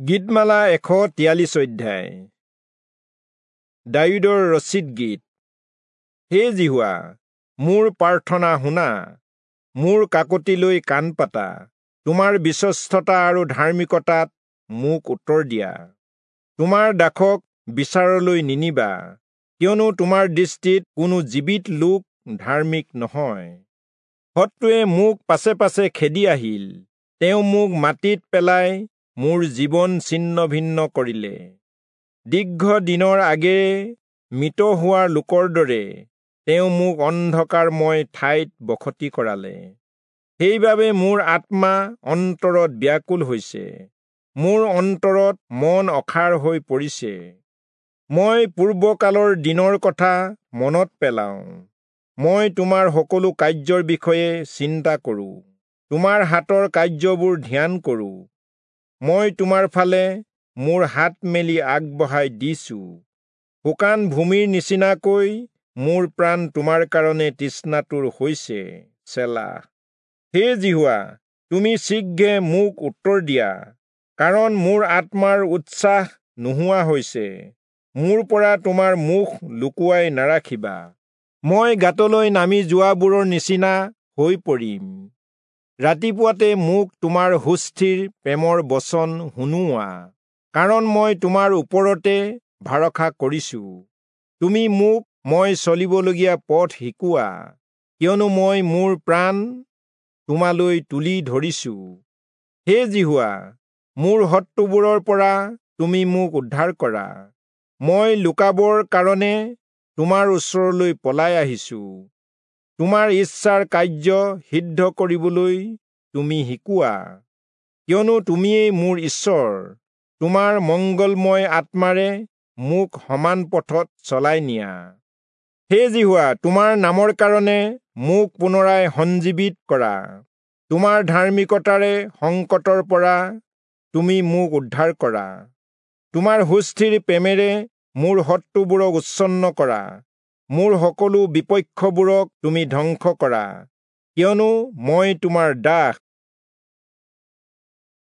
গীতমালা 143 অধ্যায়। দায়ূদৰ ৰচিত গীত। হে যিহোৱা, মোৰ প্ৰাৰ্থনা শুনা, মোৰ কাকতিলৈ কাণ পাতা, তোমাৰ বিশ্বস্ততা আৰু ধাৰ্মিকতাত মোক উত্তৰ দিয়া। তোমাৰ দাসক বিচাৰলৈ নিনিবা, কিয়নো তোমাৰ দৃষ্টিত কোনো জীৱিত লোক ধাৰ্মিক নহয়। শত্ৰুৱে মোক পাছে পাছে খেদি আহিল, তেওঁ মোক মাটিত পেলাই মোৰ জীৱন ছিন্ন ভিন্ন কৰিলে। দীৰ্ঘ দিনৰ আগেয়ে মৃত হোৱা লোকৰ দৰে তেওঁ মোক অন্ধকাৰময় ঠাইত বসতি কৰালে। সেইবাবে মোৰ আত্মা অন্তৰত ব্যাকুল হৈছে, মোৰ অন্তৰত মন অসাৰ হৈ পৰিছে। মই পূৰ্বকালৰ দিনৰ কথা মনত পেলাওঁ, মই তোমাৰ সকলো কাৰ্যৰ বিষয়ে চিন্তা কৰোঁ, তোমাৰ হাতৰ কাৰ্যবোৰ ধ্যান কৰোঁ। মই তোমাৰ ফালে মোৰ হাত মেলি আগবঢ়াই দিছোঁ, শুকান ভূমিৰ নিচিনাকৈ মোৰ প্ৰাণ তোমাৰ কাৰণে তৃষ্ণাতুৰ হৈছে। চেলা। হে যিহোৱা, তুমি শীঘ্ৰে মোক উত্তৰ দিয়া, কাৰণ মোৰ আত্মাৰ উৎসাহ নোহোৱা হৈছে। মোৰ পৰা তোমাৰ মুখ লুকুৱাই নাৰাখিবা, মই গাঁতলৈ নামি যোৱাবোৰৰ নিচিনা হৈ পৰিম। ৰাতিপুৱাতে মোক তোমাৰ সুস্থিৰ প্ৰেমৰ বচন শুনোৱা, কাৰণ মই তোমাৰ ওপৰতে ভৰসা কৰিছোঁ। তুমি মোক মই চলিবলগীয়া পথ শিকোৱা, কিয়নো মই মোৰ প্ৰাণ তোমালৈ তুলি ধৰিছোঁ। হে যিহোৱা, মোৰ শত্ৰুবোৰৰ পৰা তুমি মোক উদ্ধাৰ কৰা, মই লুকাবৰ কাৰণে তোমাৰ ওচৰলৈ পলাই আহিছোঁ। তোমাৰ ইচ্ছাৰ কাৰ্য সিদ্ধ কৰিবলৈ তুমি শিকোৱা, কিয়নো তুমিয়েই মোৰ ঈশ্বৰ। তোমাৰ মংগলময় আত্মাৰে মোক সমান পথত চলাই নিয়া। হে যিহোৱা, তোমাৰ নামৰ কাৰণে মোক পুনৰাই সঞ্জীৱিত কৰা, তোমাৰ ধাৰ্মিকতাৰে সংকটৰ পৰা তুমি মোক উদ্ধাৰ কৰা। তোমাৰ সুস্থিৰ প্ৰেমেৰে মোৰ শত্ৰুবোৰক উচ্ছন্ন কৰা, মোৰ সকলো বিপক্ষবোৰক তুমি ধ্বংস কৰা, কিয়নো মই তোমাৰ দাস।